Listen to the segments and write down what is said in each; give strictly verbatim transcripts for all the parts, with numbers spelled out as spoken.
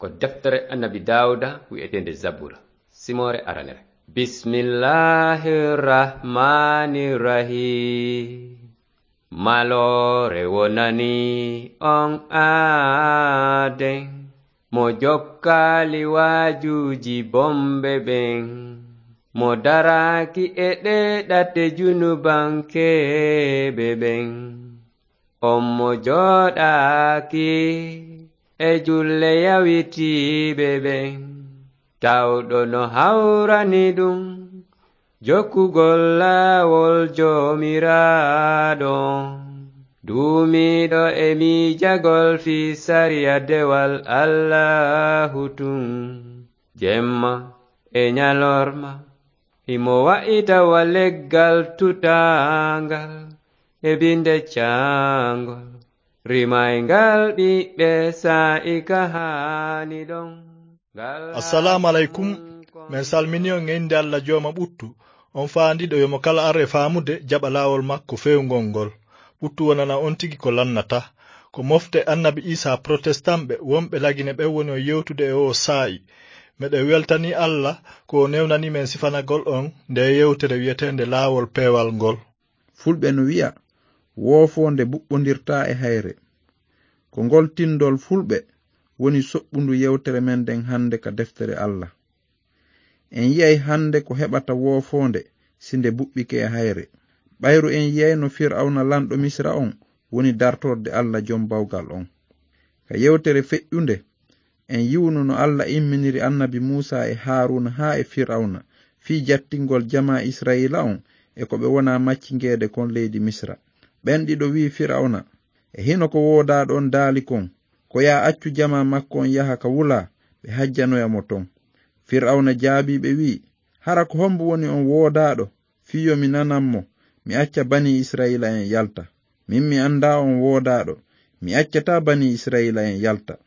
Ko deftere Annabi Daawuda wi'eteende Zabura, simoore aranere. Bismillahir Rahmanir Rahim. Maloore wonani on aaden, mo jokkaali waajuuji bomɓe ɓen, mo daraaki e ɗee ɗate junubankeeɓe ɓen. On mo jooɗaaki e julle yawitiiɓe ɓen, tawɗo no hawrani ɗum jokkugol laawol Joomiraaɗo, duumiiɗo e miijagol fii sariya dewal Allaahu tun, jemma e ñalorma, himo wa'ita wa leggal tutaangal e binde caangol, rimayngal ɓiɓɓe saa'i ka haani ɗon. Ngal Assalaamu aleykum. Min salmini on e innde Alla Jooma ɓuttu, on faandiiɗo yo mo kala ar e faamude jaɓa laawol makko feewngol ngol. Ɓuttu wonana on tigi ko lannata. Ko mofte Annabi Iisaa Protestant ɓe wonɓe Lagine ɓen woni on yewtude e oo saa'i. Meɗen weltanii Alla ko o newnanii men sifanagol on ndee yewtere wi'eteende Laawol Peewal ngol. Fulɓe no wi'a, "Woofoonde buɓɓondirtaa e hayre." Ko ngol tinndol Fulɓe woni soɓɓundu yewtere men nden hannde ka deftere Alla. En yi'ay hannde ko heɓata woofoonde si nde buɓɓike e hayre. Ɓayru en yi'ay no Fir'awna lanɗo Misra on woni dartorde Alla Jom Bawgal on. Ka yewtere feƴƴunde, en yi'uno no Alla imminiri Annabi Muusaa e Haaruuna haa e Fir'awna fii jattingol jamaa Isra'iila on e ko ɓe wona maccingeede kon leydi Misra. Ɓen ɗiɗo wi'i Fir'awna, "E hino ko woodaaɗo on daali kon, ko yaa accu jamaa makko on yaha ka wulaa, ɓe hajjanoya mo ton." Fir'awna jaabii ɓe wi'i, "Hara ko hombo woni on woodaaɗo fii yo mi nanan mo, mi acca banii Isra'iila'en yalta? Min mi anndaa on woodaaɗo, mi accataa banii Isra'iila'en yalta."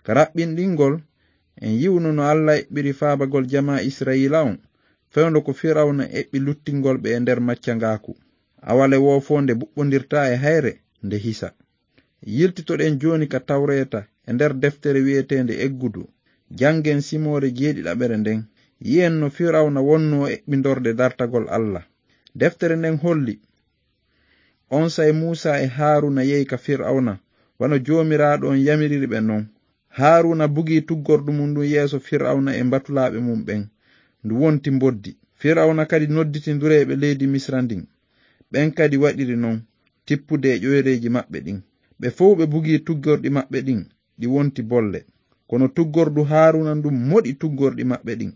Ka raɓɓinɗingol, en yi'uno no Alla eɓɓiri faabagol jamaa Isra'iila on, fewndo ko Fir'awna eɓɓi luttingol ɓe e nder maccangaaku. Awale woofoonde buɓɓondirtaa e hayre nde hisa. Yiltitoɗen jooni ka Tawreeta e nder deftere wi'eteende Eggudu. Janngen simoore jeeɗiɗaɓere nden. Yi'en no Fir'awna wonnoo eɓɓindorde dartagol Alla. Deftere nden holli, Onsay Muusaa e Haaruuna yehi ka Fir'awna, wano Joomiraaɗo on yamiriri ɓe non. Haaruuna bugii tuggordu mun ndun yeeso Fir'awna e mbatulaaɓe mun ɓen. Ndu wonti mboddi. Fir'awna kadi nodditi ndureeɓe leydi Misra ndin. Ɓen kadi waɗiri non, tippude e ƴoyreeji maɓɓe ɗin. Ɓe fow ɓe bugii tuggorɗi maɓɓe ɗin, ɗi wonti bolle. Kono tuggordu Haaruuna ndun moɗi tuggorɗi maɓɓe ɗin.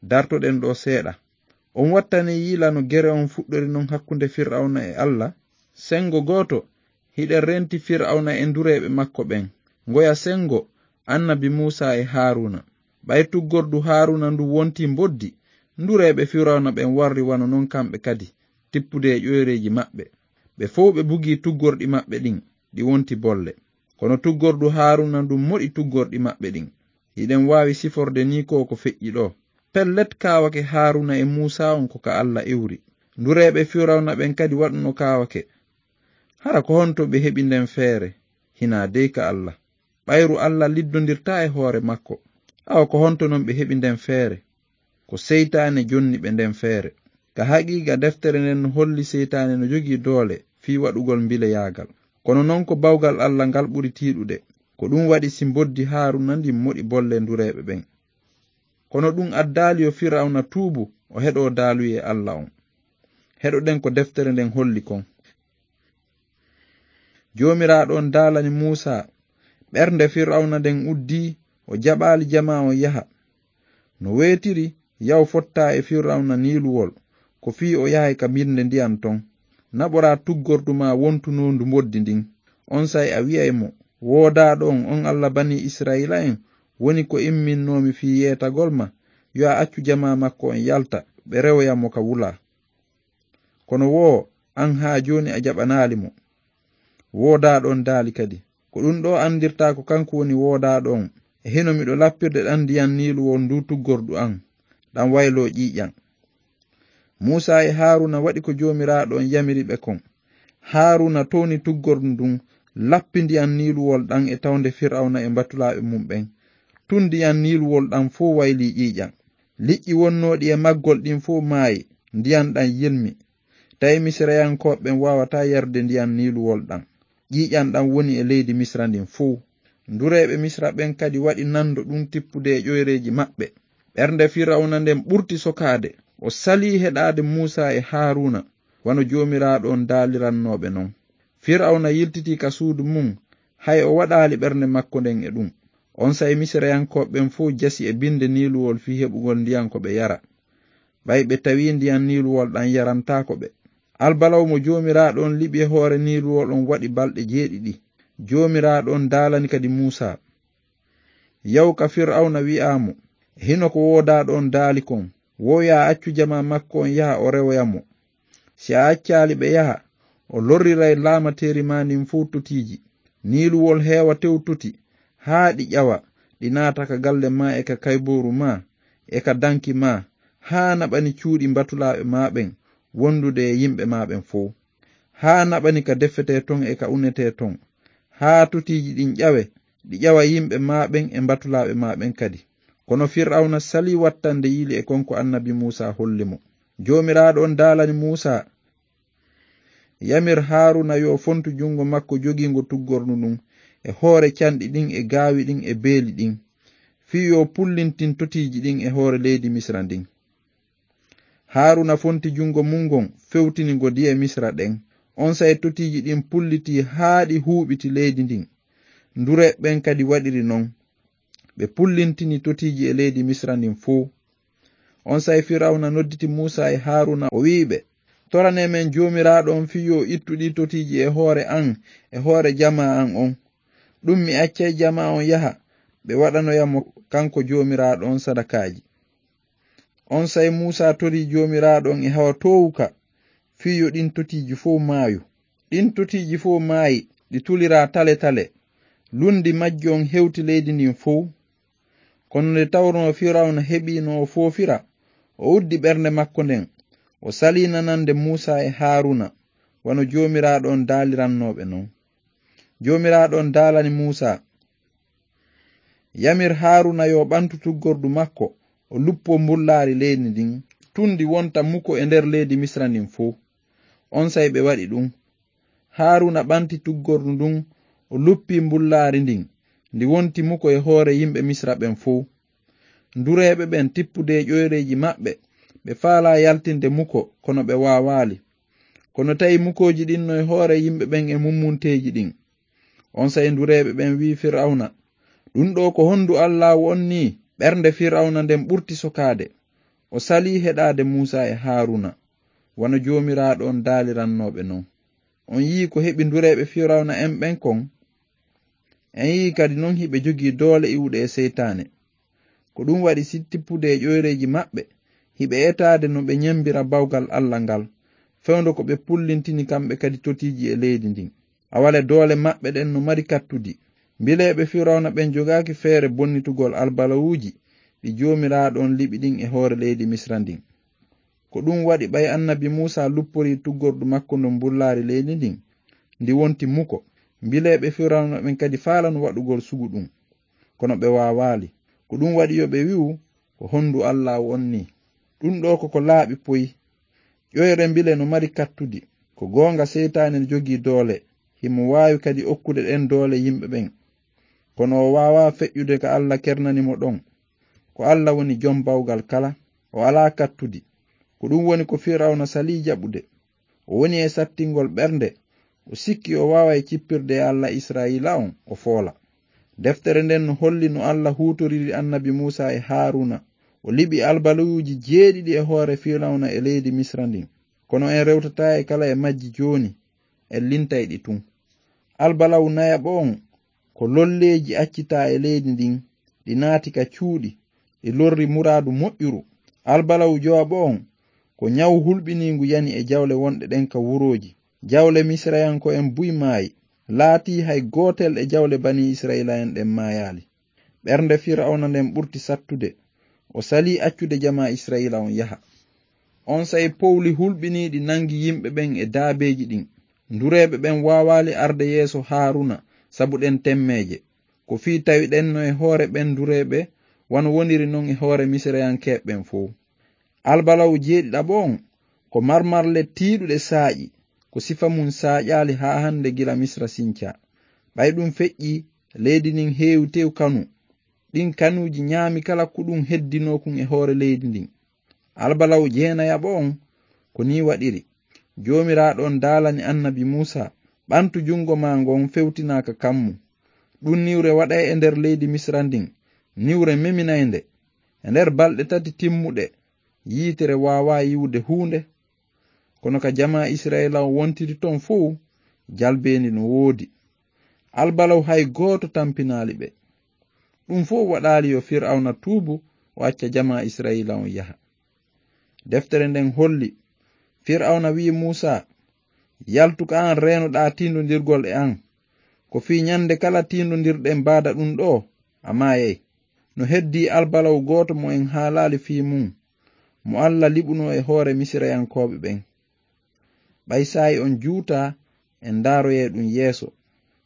Dartoɗen ɗoo seeɗa. On wattanee yiila no gere on fuɗɗori non hakkunde Fir'awna e Alla? Sengo gooto, hiɗen renti Fir'awna e ndureeɓe makko ɓen. Ngoya sengo, Annabi Muusaa e Haaruuna. Ɓay tuggordu Haaruuna ndu wontii mboddi, ndureeɓe Fir'awna ɓen warri wano non kamɓe kadi, tippude e ƴoyreeji maɓɓe. Ɓe fow ɓe bugii tuggorɗi maɓɓe ɗin, ɗi wonti bolle. Kono tuggordu Haaruuna ndun moɗi tuggorɗi maɓɓe ɗin. Hiɗen waawi siforde nii ko ko feƴƴi ɗoo. Pellet, kaawake Haaruuna e Muusaa on ko ka Alla iwri. Ndureeɓe Fir'awna ɓen kadi waɗuno kaawake. Hara ko honto ɓe heɓi nden feere? Hinaa dey ka Alla. Ɓayru Alla liddondirtaa e hoore makko. Awa ko honto non ɓe heɓi nden feere? Ko seytaane jonni ɓe nden feere. Ka haqiiqa, deftere nden no holli seytaane no jogii doole fii waɗugol mbileyaagal. Kono non ko bawgal Alla ngal ɓuri tiiɗude. Ko ɗun waɗi si mboddi Haaruuna ndin moɗi bolle ndureeɓe ɓen. Kono ɗun addaali yo Fir'awna tuubu, o heɗoo daaluyee Alla on. Heɗoɗen ko deftere nden holli kon. Joomiraaɗo on daalani Muusaa, ɓernde Fir'awna nden uddii, o jaɓaali jamaa on yaha. No weetiri, yaw fottaa e Fir'awna Niiluwol, ko fii o yahay ka mirnde ndiyan ton. Naɓoraa tuggordu maa wontunoondu mboddi ndin. Onsay a wi'ay mo, "Woodaaɗo on, on Alla banii Isra'iila'en, woni ko imminnoomi fii yeetagol ma, yo a accu jamaa makko on yalta, ɓe rewoya mo ka wulaa." Kono woo, an haa jooni a jaɓanaali mo. Woodaaɗo on daali kadi, "Ko ɗun ɗoo anndirtaa ko kanko woni woodaaɗo on. E hino miɗo lappirde ɗan ndiyan Niiluwol nduu tuggordu an, ɗan wayloo ƴiiƴan." Muusaa e Haaruuna waɗi ko Joomiraaɗo on yamiri ɓe kon. Haaruuna towni tuggordu ndun, lappi ndiyan Niiluwol ɗan e tawnde Fir'awna e mbatulaaɓe mun ɓen. Tun ndiyan Niiluwol ɗan fow waylii ƴiiƴan. Liƴƴi wonnooɗi e maggol ɗin fow maayi, ndiyan ɗan yelmi. Tawi Misirayankooɓe ɓen waawataa yarude ndiyan Niiluwol ɗan. Ƴiiƴan ɗan woni e leydi Misira ndin fow. Ndureeɓe Misira ɓen kadi waɗi nando ɗun tippude e ƴoyreeji maɓɓe. Ɓernde Firawna nden ɓurti sokaade. O salii heɗaade Muusaa e Haaruuna, wano Joomiraaɗo on daalirannoo ɓe non. Firawna yiltitii ka suudu mun, hay o waɗaali ɓernde makko nden e ɗun. Onsay Misirayankooɓe ɓen fow jasi e binde Niiluwol fii heɓugol ndiyan ko ɓe yara. Ɓay ɓe tawii ndiyan Niiluwol ɗan yarantaako ɓe. Albalaw mo Joomiraaɗo on liɓi e hoore Niiluwol on waɗi balɗe jeeɗiɗi. Joomiraaɗo on daalani kadi Muusaa. Yaw ka Firawna, wi'aa mo, hino ko woodaaɗo on daali kon, woo yo a accu jamaa makko on yaha o rewoya mo. Si a accaali ɓe yaha, o lorriray laamateeri maa ndin fow totiiji. Niiluwol heewa tew toti, haa ɗi ƴawa, ɗi naata ka galle maa e ka kaybooru maa, e ka danki maa, haa naɓani cuuɗi mbatulaaɓe maa ɓen, wondude e yimɓe maa ɓen fow. Haa naɓani ka defetee ton e ka unetee ton. Haa totiiji ɗin ƴawe, ɗi ƴawa yimɓe maa ɓen e mbatulaaɓe maa ɓen kadi. Kono Firawna salii wattande yili e kon ko annabi Muusaa holli mo. Joomiraaɗo on daalani Muusaa, yamir Haaruuna yo fontu jungo makko jogiingo tuggordu ndun e hoore canɗi ɗin e gaawi ɗin e beeli ɗin, fii yo pullintin totiiji ɗin e hoore leydi Misira ndin. Haaruuna fonti jungo mun ngon, fewtini ngo di'e Misira ɗen. Onsay totiiji ɗin pullitii haa ɗi huuɓiti leydi ndin. Ndureeɓe ɓen kadi waɗiri non. Ɓe pullintini totiiji e leydi Misira ndin fow. Onsay Firawna nodditi Muusaa e Haaruuna, o wi'i ɓe, toranee men Joomiraaɗo on fii yo ittu ɗii totiiji e hoore an e hoore jamaa an on. Ɗun mi accay jamaa on yaha, ɓe waɗanoya mo kanko Joomiraaɗo on sadakaaji. Onsay Muusaa torii Joomiraaɗo on e hawa toowuka fii yo ɗin totiiji fow maayu. Ɗin totiiji fow maayi, ɗi tuliraa tale tale. Lunndi majji on hewti leydi ndin fow. Kono nde tawnoo Firawna heɓii no o foofira, o uddi ɓernde makko nden, o salii nanande Muusaa e Haaruuna, wano Joomiraaɗo on daalirannoo ɓe non. Joomiraaɗo on daalani Muusaa, yamir Haaruuna yo ɓantu tuggordu makko, o luppoo mbullaari leydi ndin, tun ndi wonta muko e nder leydi Misira ndin fow. Onsay ɓe waɗi ɗun. Haaruuna ɓanti tuggordu ndun, o luppii mbullaari ndin, ndi wonti muko e hoore yimɓe Misira ɓen fow. Ndureeɓe ɓen tippude e ƴoyreeji maɓɓe, ɓe faalaa yaltinde muko, kono ɓe waawaali. Kono tawi mukooji ɗin no e hoore yimɓe ɓen e mummunteeji ɗin. Onsay ndureeɓe ɓen wi'i Firawna, ɗun ɗoo ko hondu Allaahu on nii? Ɓernde Firawna nden ɓurti sokaade. O salii heɗaade Muusaa e Haaruuna, wano Joomiraaɗo on daalirannoo ɓe non. On yi'ii ko heɓi ndureeɓe Firawna en ɓen kon? En yi'ii kadi non hiɓe jogii doole iwuɗe e seytaane. Ko ɗun waɗi si tippude e ƴoyreeji maɓɓe, hiɓe etaade no ɓe nyembira bawgal Alla ngal, fewndo ko ɓe pullintini kamɓe kadi totiiji e leydi ndin. Awale doole maɓɓe ɗen no mari kattudi. Mbileeɓe Firawna ɓen jogaaki feere bonnitugol albalawuuji ɗi Joomiraaɗo on liɓi ɗin e hoore leydi Misira ndin. Ko ɗun waɗi ɓay annabi Muusaa lupporii tuggordu makko ndun mbullaari leydi ndin, ndi wonti muko. Mbileeɓe Firawna ɓen kadi faalano waɗugol sugu ɗun. Kono ɓe waawaali. Ko ɗun waɗi yo ɓe wi'u, ko hondu Allaahu on nii? Ɗun ɗoo ko ko laaɓi poy. Ƴoyre mbile no mari kattudi. Ko goonga seytaane no jogii doole. Himo waawi kadi okkude ɗen doole yimɓe ɓen. Kono o waawaa feƴƴude ka Alla kernani mo ɗon. Ko Alla woni jom bawgal kala. O alaa kattudi. Ko ɗun woni ko Firawna salii jaɓude. O woni e sattingol ɓernde. O sikki o waaway cippirde e Alla Isra'iila on, o foola. Deftere nden no holli no Alla huutoriri annabi Muusaa e Haaruuna. O liɓi albalawuuji jeeɗiɗi e hoore Firawna e leydi Misira ndin. Kono en rewtataa e kala e majji jooni, en lintay ɗi tun. Albalawu nayaɓo on ko lolleeji accitaa e leydi ndin, ɗi naati ka cuuɗi, ɗi lorri muraadu moƴƴuru. Albalawu jowaɓo on ko nyawu hulɓiniingu yani e jawle wonɗe ɗen ka wurooji. Jawle Misirayanko'en buy maayi, laatii hay gootel e jawle Banii Isra'iila'en ɗen maayaali. Ɓernde Firawna nden ɓurti sattude. O salii accude jamaa Isra'iila on yaha. Onsay powli hulɓiniiɗi nangi yimɓe ɓen e daabeeji ɗin. Ndureeɓe ɓen waawaali arde yeeso Haaruuna sabu ɗen temmeeje. Ko fii tawiɗen no e hoore ɓen dureeɓe, wano woniri non e hoore Misirayankeeɓe ɓen fow. Albalaw jeeɗiɗaɓo on, ko marmarle tiiɗuɗe saaƴi, ko sifa mun saaƴaali haa hande gila Misira sincaa. Ɓay ɗun feƴƴii, leydi ndin heewi tew kanu. Ɗin kanuuji ɲaami kala ko ɗun heddinoo kun e hoore leydi ndin. Albalaw jeenayaɓo on, ko nii waɗiri. Joomiraaɗo on daalani annabi Muusaa, "Ɓantu jungo maa ngon fewtinaa ka kammu." Ɗun niwre waɗay e nder leydi Misira ndin, niwre meminaynde. E nder balɗe tati timmuɗe, yiitere waawaa yiwude huunde. Kono ka jamaa Isra'iila on wontiri ton fow, jalbeendi no woodi. Albalaw hay gooto tampinaali ɓe. Ɗun fow waɗaali yo Fir'awna tuubu, o acca jamaa Isra'iila on yaha. Deftere nden holli, Fir'awna wi'i Muusaa, "Yaltu ka an reenoɗaa tiindondirgol e an. Ko fii ɲande kala tiindondirɗen baada ɗun ɗoo, a maayay." No heddii albalaw gooto mo en haalaali fii mun, mo Alla liɓunoo e hoore Misirayankooɓe ɓen. Ɓay saa'i on juutaa, en ndaaroyay ɗun yeeso.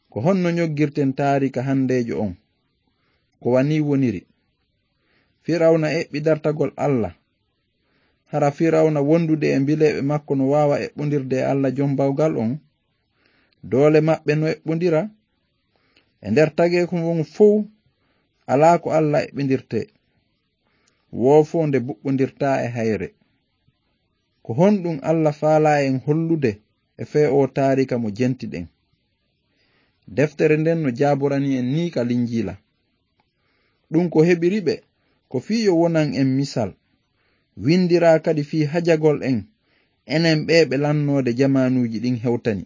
Ko honno ɲoggirten taariika handeejo on? Ko wa nii woniri. Fir'awna eɓɓi dartagol Alla. Hara Fir'awna wondude e mbileeɓe makko no waawa eɓɓondirde e Alla Jom Bawgal on? Doole maɓɓe no eɓɓondira? E nder tageekun on fow, alaa ko Alla eɓɓindirtee. Woofoonde buɓɓondirtaa e hayre. Ko honɗun Alla faalaa en hollude e fee oo taariika mo jentiɗen? Deftere nden no jaaborani en nii ka Linjiila. Ɗun ko heɓiri ɓe, ko fii yo wonan en misal. Windiraa kadi fii hajagol en, enen ɓee ɓe lannoode jamaanuuji ɗin hewtani.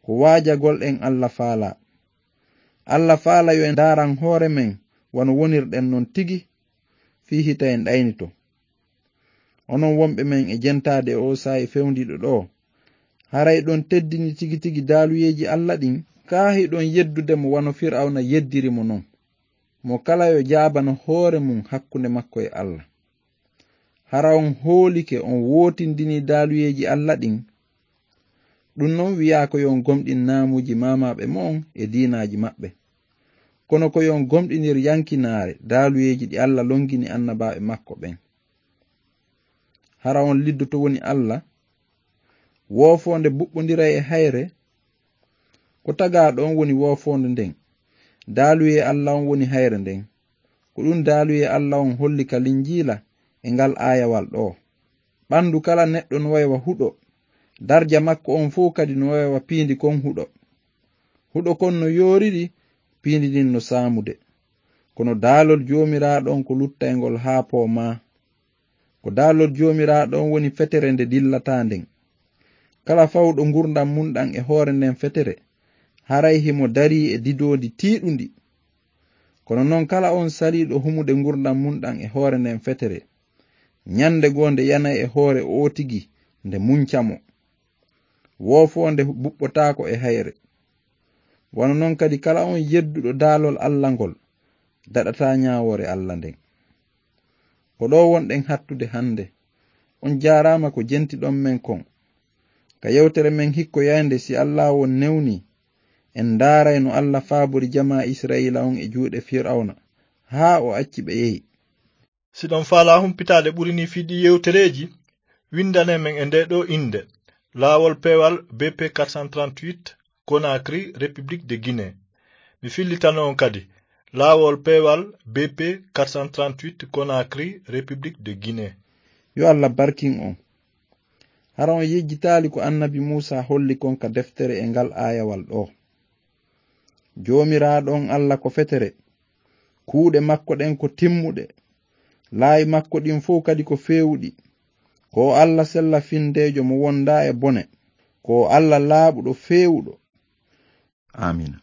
Ko waajagol en Alla faalaa. Alla faalaa yo en ndaaran hoore men wano wonirɗen non tigi, fii hita en ɗaynito. Onon wonɓe men e jentaade e oo saa'i fewndiiɗo ɗoo, haray hiɗon teddini tigi tigi daaluyeeji Alla ɗin, kaa hiɗon yeddude mo wano Fir'awna yeddiri mo non? Mo kala yo jaabano hoore mun hakkunde makko e Alla. Hara on hoolike on wootindinii daaluyeeji Alla ɗin? Ɗun non wi'aa ko yo on gomɗin naamuuji maamaaɓe mo'on e diinaaji maɓɓe. Kono ko yo on gomɗinir yankinaare daaluyeeji ɗi Alla longini annabaaɓe makko ɓen. Hara on liddoto woni Alla? Woofoonde buɓɓondiray e hayre? Ko tagaaɗo on woni woofoonde nden. Daaluyee Alla on woni hayre nden. Ko ɗun daaluyee Alla on holli ka Linjiila e ngal aayawal ɗoo. Ɓandu kala neɗɗo no way wa huɗo. Darja makko on fow kadi no way wa piindi kon huɗo. Huɗo kon no yooriri piindi ndin no saamude. Kono daalol Joomiraaɗo on ko luttayngol haa poomaa. Ko daalol Joomiraaɗo on woni fetere nde dillataa nden. Kala fawɗo ngurndan mun ɗan e hoore nden fetere, haray himo darii e didoondi tiiɗundi. Kono non kala on saliiɗo humude ngurndan mun ɗan e hoore nden fetere, ɲande goo nde yanay e hoore oo tigi nde munca mo. Woofoonde buɓɓotaako e hayre. Wano non kadi kala on yedduɗo daalol Alla ngol, daɗataa ɲaawoore Alla nden. Ko ɗoo wonɗen hattude hande. On jaaraama ko jentiɗon men kon. Ka yewtere men hikkoyaynde, si Alla on newnii, en ndaaray no Alla faabori jamaa Isra'iila on e juuɗe Fir'awna, haa o acci ɓe yehi. Si ɗon faalaa humpitaade ɓuri nii fii ɗii yewtereeji, winndane men e ndee ɗoo innde, Laawol Peewal B P quatre cent trente-huit, Conakry, République de Guinée. Mi fillitano on kadi, Laawol Peewal B P quatre cent trente-huit, Conakry, République de Guinée. Yo Alla barkin on. Hara on yejjitaali ko annabi Muusaa holli kon ka deftere e ngal aayawal ɗoo? Joomiraaɗo on Alla ko fetere. Kuuɗe makko ɗen ko timmuɗe. Laawi makko ɗin fow kadi ko feewuɗi. Ko o Alla sella findeejo mo wondaa e bone. Ko o Alla laaɓuɗo feewuɗo. Aamiina.